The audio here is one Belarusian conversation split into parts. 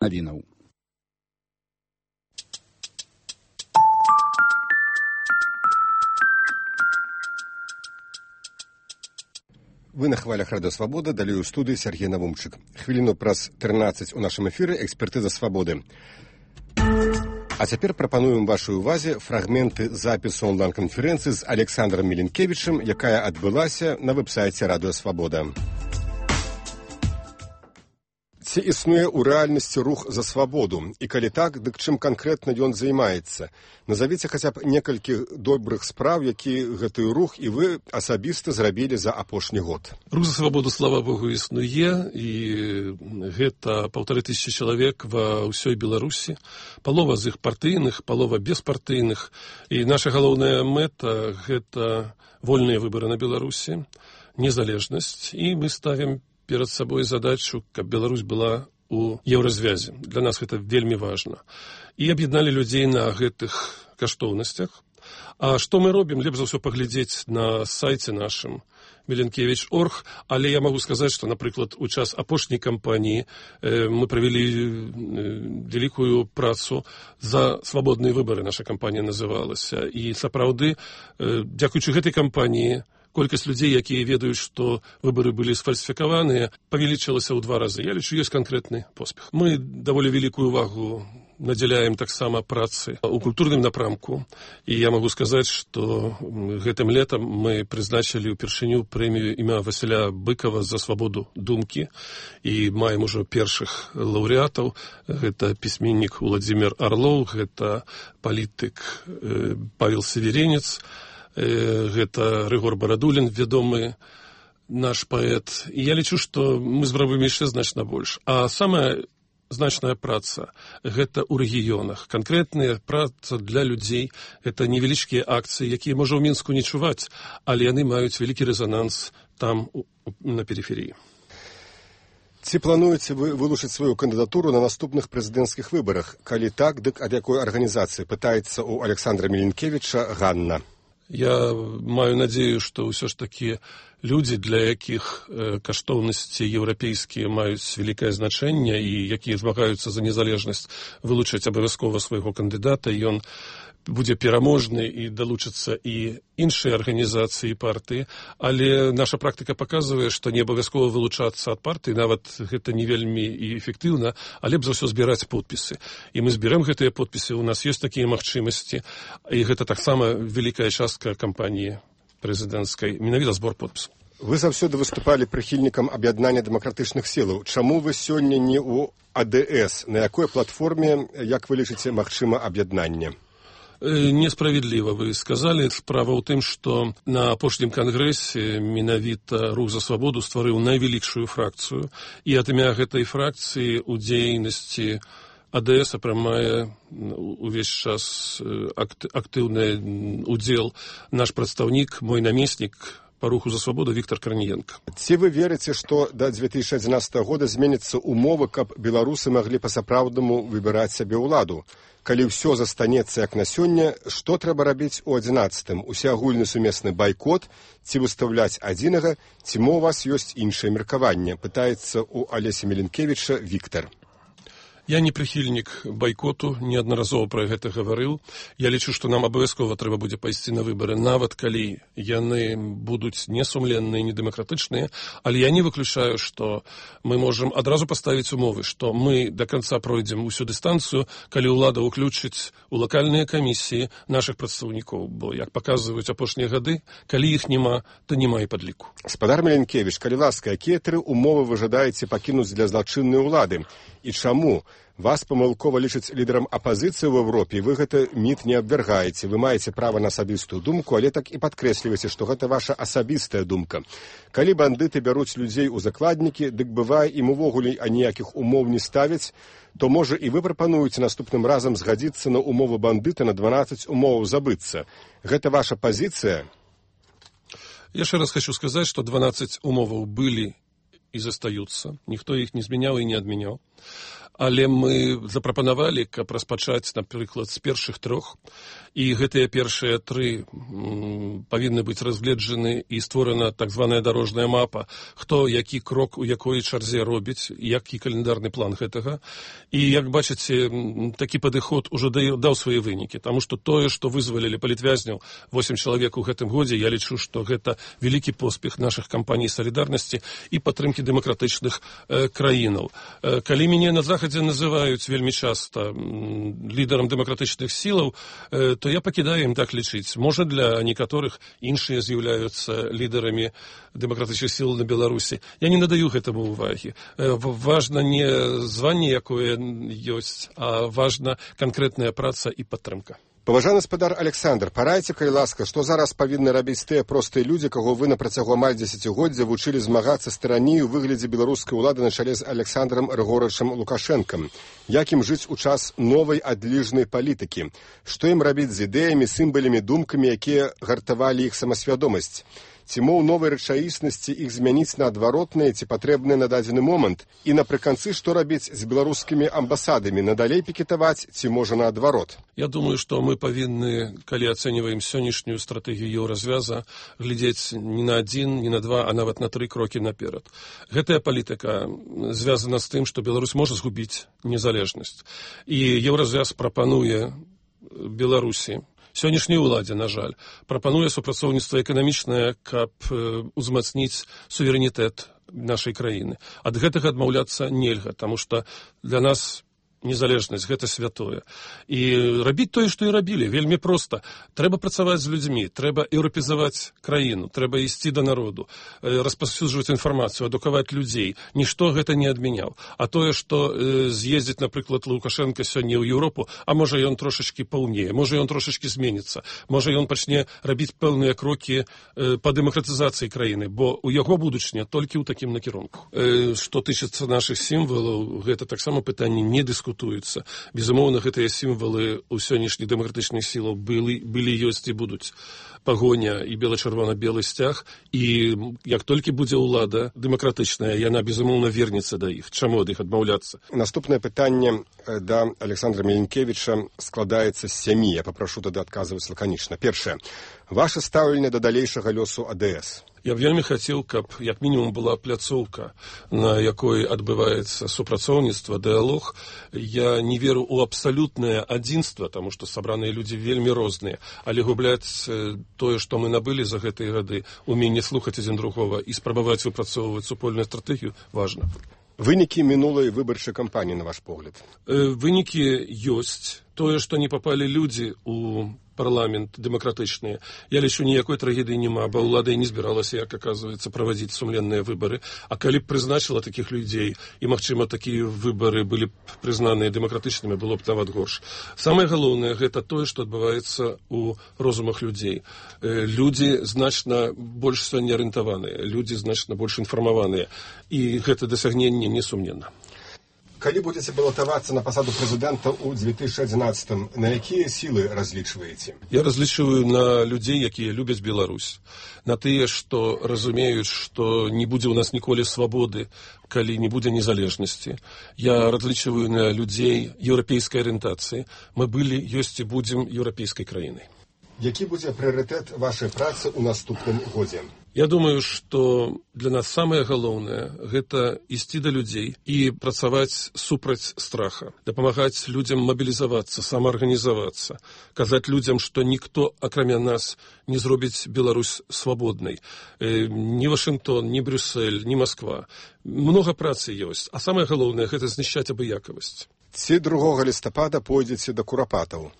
навінаў. Вы на хвалях Радыё Свабода, далей у студыі Сергей Навумчык. Хвіліну праз 13 у нашым эфіры экспертыза свабоды. А цяпер прапануем вашай увазе фрагменты запісу онлайн-канферэнцыі з Александром Мілінкевічым, якая адбылася на вэб-сайце Радыё Свабода. Ці існуе ў рэальнасці рух за свабоду? І калі так, дык чым канкрэтна ён займаецца? Назавіце хаця б некалькі добрых спраў, які гэты рух і вы асабіста зрабілі за апошні год. Рух за свабоду, слава Богу, існуе, і гэта 1500 чалавек ва ўсёй Беларусі. Палова з іх партыйных, палова беспартыйных. І наша галоўная мэта – гэта вольныя выбары на Беларусі, незалежнасць, і мы ставім перед сабой задачу, каб Беларусь была у еўразвязе. Для нас гэта вельмі важна. І аб'ядналі людзей на гэтых каштоўнасцях. А што мы робім? Лепш за ўсё паглядзець на сайце нашым Мілінкевіч.орг, але я магу сказаць, што, напрыклад, у час апошняй кампаніі мы правялі вялікую працу за свабодныя выбары, наша кампанія называлася. І сапраўды, дзякуючы гэтай кампаніі, колькасць людзей, якія ведаюць, што выбары былі сфальсіфікаваныя, павялічылася ў 2 разы. Я лічу, ёсць канкрэтны поспех. Мы даволі вялікую увагу надзяляем таксама працы ў культурным напрамку. І я магу сказаць, што гэтым летам мы прызначылі ўпершыню прэмію імя Васіля Быкова за свабоду думкі. І маем ужо першых лаўрэатаў. Гэта пісьменнік Уладзімір Арлоў, гэта палітык Павел Северенец, гэта Рыгор Барадулін, вядомы наш паэт. І я лічу, што мы зробім яшчэ значна больш. А самая значная праца – гэта ў рэгіёнах. Канкрэтная праца для людзей – гэта невялічкія акцыі, якія, можа, ў Мінску не чуваць, але яны маюць вялікі рэзананс там, на перыферыі. Ці плануеце вы вылучыць сваю кандыдатуру на наступных прэзідэнцкіх выбарах? Калі так, дык ад якой арганізацыі? Пытаецца ў Александра Мілінкевіча Ганна. Я маю надзею, што ўсё ж такі людзі, для якіх каштоўнасці еўрапейскія маюць вялікае значэнне і якія змагаюцца за незалежнасць, вылучаць абавязкова свайго кандыдата, і ён будзе пераможны і далучацца і іншыя арганізацыі і партыі, але наша практыка паказвае, што не абавязкова вылучацца ад партыі, нават гэта не вельмі і эфектыўна, але б за ўсё збіраць подпісы. І мы зберем гэтыя подпісы, у нас ёсць такія магчымасці, і гэта таксама вялікая частка кампаніі прэзідэнцкай, менавіта збор подпісаў. Вы заўсёды выступалі прыхільнікам аб'яднання дэмакратычных сілаў. Чаму вы сёння не ў АДС? На якой платформе, як вы лічыце, магчыма аб'яднанне? Несправедліва вы сказалі. Справа ў тым, што на апошнім кангрэсе менавіта Рух за свабоду стварыў найвялікшую фракцыю, і ад імя гэтай фракцыі ў дзейнасці АДС прымае увесь час актыўны удзел наш прадстаўнік, мой намеснік па Руху за свабоду Віктор Карніенка. Ці вы верыце, што да 2011 года зменяцца умовы, каб беларусы маглі па-сапраўднаму выбіраць сабе ўладу? Калі ўсё застанецца як на сёння, што трэба рабіць у 11-м? Усеагульны сумесны байкот, ці выстаўляць адзінага, ці мо у вас ёсць іншае меркаванне? Пытаецца ў Алесі Мілінкевіча Віктар. Я не прыхільнік байкоту, неаднаразова пра гэта гаварыў. Я лічу, што нам абавязкова трэба будзе пайсці на выбары, нават калі яны будуць несумленныя, недэмакратычныя, але я не выключаю, што мы можам адразу паставіць умовы, што мы да канца пройдзем усю дыстанцыю, калі ўлада ўключыць у лакальныя камісіі нашых прадстаўнікоў, бо, як паказваюць апошнія гады, калі іх няма, то няма і падліку. Спадар Мілінкевіч, калі ласка, якія 3 умовы вы жадаеце пакінуць для злачыннай улады? І чаму? Вас памылкова лічаць лідарам апазіцыі ў Еўропе, вы гэта міт не абвяргаеце, вы маеце права на асабістую думку, але так і падкрэсліваеце, што гэта ваша асабістая думка. Калі бандыты бяруць людзей у закладнікі, дык бывае ім увогуле аніякіх умоў не ставяць, то, можа, і вы прапануеце наступным разам згадзіцца на умовы бандыта на 12 умоваў забыцца. Гэта ваша пазіцыя? Я яшчэ раз хочу сказаць, што 12 умоваў былі і застаюцца. Ніхто іх не змяняў і не адмяняў. але мы запрапанавалі, каб распачаць, напрыклад, з першых 3, і гэтыя першыя 3 павінны быць разгледжаны і створана так званая дарожная мапа, хто які крок у якой чарзе робіць, які календарны план гэтага. І, як бачыце, такі падыход ужо даў свае вынікі, таму што тое, што вызвалілі палітвязняў 8 чалавек у гэтым годзе, я лічу, што гэта вялікі поспех нашых кампаній салідарнасці і падтрымкі дэмакратычных краінаў. Калі мяне на Захадзе называюць вельмі часта лідарам дэмакратычных сілаў, то я пакідаю ім так лічыць. Можа, для некаторых іншыя з'яўляюцца лідарамі дэмакратычных сіл на Беларусі. Я не надаю гэтаму ўвагі. Важна не званне, якое ёсць, а важна канкрэтная праца і падтрымка. Паважаны гаспадар Александр, парайце, калі ласка, што зараз павінны рабіць тыя простыя людзі, каго вы на працягу амаль дзесяцігоддзя вучылі змагацца з тыраніяй у выглядзе беларускай улады на чале з Александром Григоровичем Лукашэнкам? Як ім жыць у час новай адліжнай палітыкі? Што ім рабіць з ідэямі, сімвалямі, думкамі, якія гартавалі іх самасвядомасць? Ці мо ў новай рэчаіснасці іх змяніць на адваротныя, ці патрэбныя на дадзены момант? І напрыканцы, што рабіць з беларускімі амбасадамі? Надалей пікетаваць, ці можа наадварот? Я думаю, што мы павінны, калі ацэньваем сённяшнюю стратэгію еўразвяза, глядзець не на 1, не на 2, а нават на 3 крокі наперад. Гэтая палітыка звязана з тым, што Беларусь можа згубіць незалежнасць. І еўразвяз прапануе Беларусі, сённяшняй уладзе, на жаль, прапануе супрацоўніцтва эканамічнае, каб узмацніць суверэнітэт нашай краіны. Ад гэтага адмаўляцца нельга, таму што для нас незалежнасць, гэта святое. І рабіць тое, што і рабілі, вельмі проста. Трэба працаваць з людзьмі, трэба еўрапезаваць краіну, трэба ісці да народу, распаўсюджваць інфармацыю, адукаваць людзей. Нішто гэта не адмяняў. А тое, што з'ездзіць, напрыклад, Лукашенко сёння ў Еўропу, а можа ён трошачкі паўнее, можа ён трошачкі зменіцца, можа ён пачне рабіць пэўныя крокі па дэмакратызацыі краіны, бо ў яго будучыня толькі ў такім накірунку. Што тычыцца нашых сімвалаў, гэта таксама пытанне не дыскутуецца. Безумоўна, гэтыя сімвалы ў сённяшніх дэмакратычных сілаў былі, ёсць і будуць. Пагоня і бела-чырвона-белы сцяг, і як толькі будзе ўлада дэмакратычная, яна, безумоўна, вернецца да іх. Чаму ад іх адмаўляцца? Наступнае пытанне да Александра Міленкевіча складаецца з 7. Я папрашу тады адказваць лаканічна. Першае. Ваше стаўленне да далейшага лёсу АДС. Я б вельмі хацеў, каб як мінімум была пляцоўка, на якой адбываецца супрацоўніцтва, дыялог. Я не веру ў абсалютнае адзінства, таму што сабраныя людзі вельмі розныя, але губляць тое, што мы набылі за гэтыя гады, уменне слухаць адзін другога і спрабаваць выпрацоўваць супольную стратэгію, важна. Вынікі мінулай выбарчай кампаніі, на ваш погляд? Вынікі ёсць. Тое, што не папалі людзі ў парламент дэмакратычныя. Я лічу, ніякой трагедыі няма, бо ўлада і не збіралася, як аказваецца, правадзіць сумленныя выбары. А калі б прызначыла такіх людзей, і, магчыма, такія выбары былі б прызнаныя дэмакратычнымі, было б нават горш. Самае галоўнае – гэта тое, што адбываецца ў розумах людзей. Людзі значна больш сёння арыентаваныя, людзі значна больш інфармаваныя. І гэта дасягненне несумненна. Калі будзеце балатавацца на пасаду прэзідэнта ў 2011, на якія сілы разлічваеце? Я разлічваю на людзей, якія любяць Беларусь. На тыя, што разумеюць, што не будзе ў нас ніколі свабоды, калі не будзе незалежнасці. Я разлічваю на людзей еўрапейскай арыентацыі. Мы былі, ёсць і будзем еўрапейскай краінай. Які будзе прыярытэт вашай працы ў наступным годзе? Я думаю, што для нас самае галоўнае – гэта ісці да людзей і працаваць супраць страха, дапамагаць людзям мабілізавацца, самаарганізавацца, казаць людзям, што ніхто, акрамя нас, не зробіць Беларусь свабоднай. Ні Вашынгтон, ні Брюссель, ні Масква. Многа працы ёсць, а самае галоўнае – гэта знішчаць абыякавасць. Ці 2 лістапада пойдзеце да курапатаў?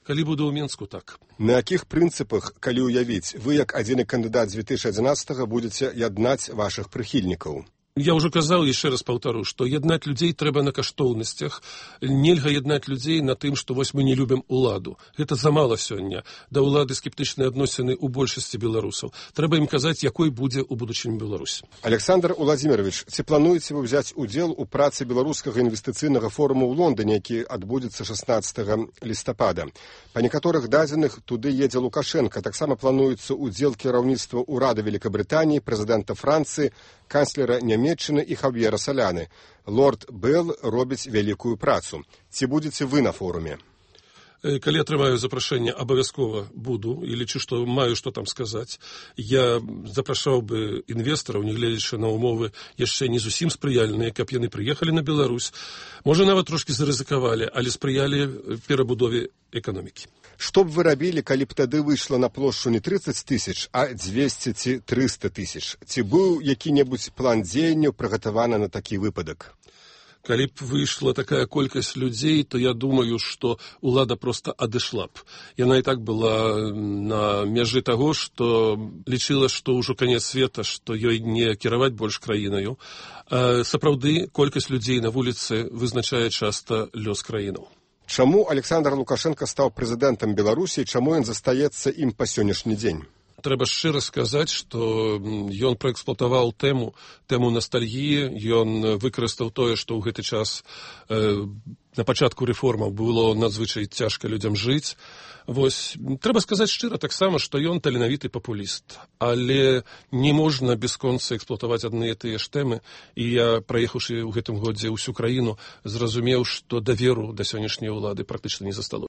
Калі буду ў Менску, так. На якіх прынцыпах, калі ўявіць, вы, як адзіны кандыдат з 2011 будзеце яднаць вашых прыхільнікаў? Я ўжо казаў, яшчэ раз паўтару, што яднаць людзей трэба на каштоўнасцях. Нельга яднаць людзей на тым, што вось мы не любім уладу. Гэта замала сёння. Да ўлады скептычныя адносіны ў большасці беларусаў. Трэба ім казаць, якой будзе ў будучыні Беларусь. Александр Уладзімірович, ці плануеце вы ўзяць удзел у працы беларускага інвестыцыйнага форуму ў Лондоне, які адбудзецца 16 лістапада? Па некаторых дадзеных туды едзе Лукашенко. Таксама плануецца удзел кіраўніцтва ўрада Великабрытаніі, прэзідэнта Францыі, канцлера Нямецчыны і Хав'ера Саляны. Лорд Белл робіць вялікую працу. Ці будзеце вы на форуме? Калі атрымаю запрашэнне, абавязкова буду, і лічу, што маю што там сказаць. Я запрашаў бы інвестараў, нягледзячы на умовы яшчэ не зусім спрыяльныя, каб яны прыехалі на Беларусь. Можа, нават трошкі зарызыкавалі, але спрыялі перабудове эканомікі. Што б вы рабілі, калі б тады выйшла на плошчу не 30 000, а 200 ці 300 000? Ці быў які-небудзь план дзеянняў прыгатаваны на такі выпадак? Калі б выйшла такая колькасць людзей, то я думаю, што ўлада проста адышла б. Яна і так была на мяжы таго, што лічыла, што ўжо канец света, што ёй не кіраваць больш краінаю. Сапраўды, колькасць людзей на вуліцы вызначае часта лёс краінаў. Чаму Александр Лукашенко стаў прэзідэнтам Беларусі і чаму ён застаецца ім па сённяшні дзень? Трэба шчыра сказаць, што ён праэксплуатаваў тэму настальгіі, ён выкарыстаў тое, што ў гэты час на пачатку рэформаў было надзвычай цяжка людзям жыць. Вось, трэба сказаць шчыра таксама, што ён таленавіты папуліст, але не можна бясконца эксплуатаваць адныя тыя ж тэмы, і я, праехаўшы ў гэтым годзе ўсю краіну, зразумеў, што даверу да сённяшняй улады практычна не засталося.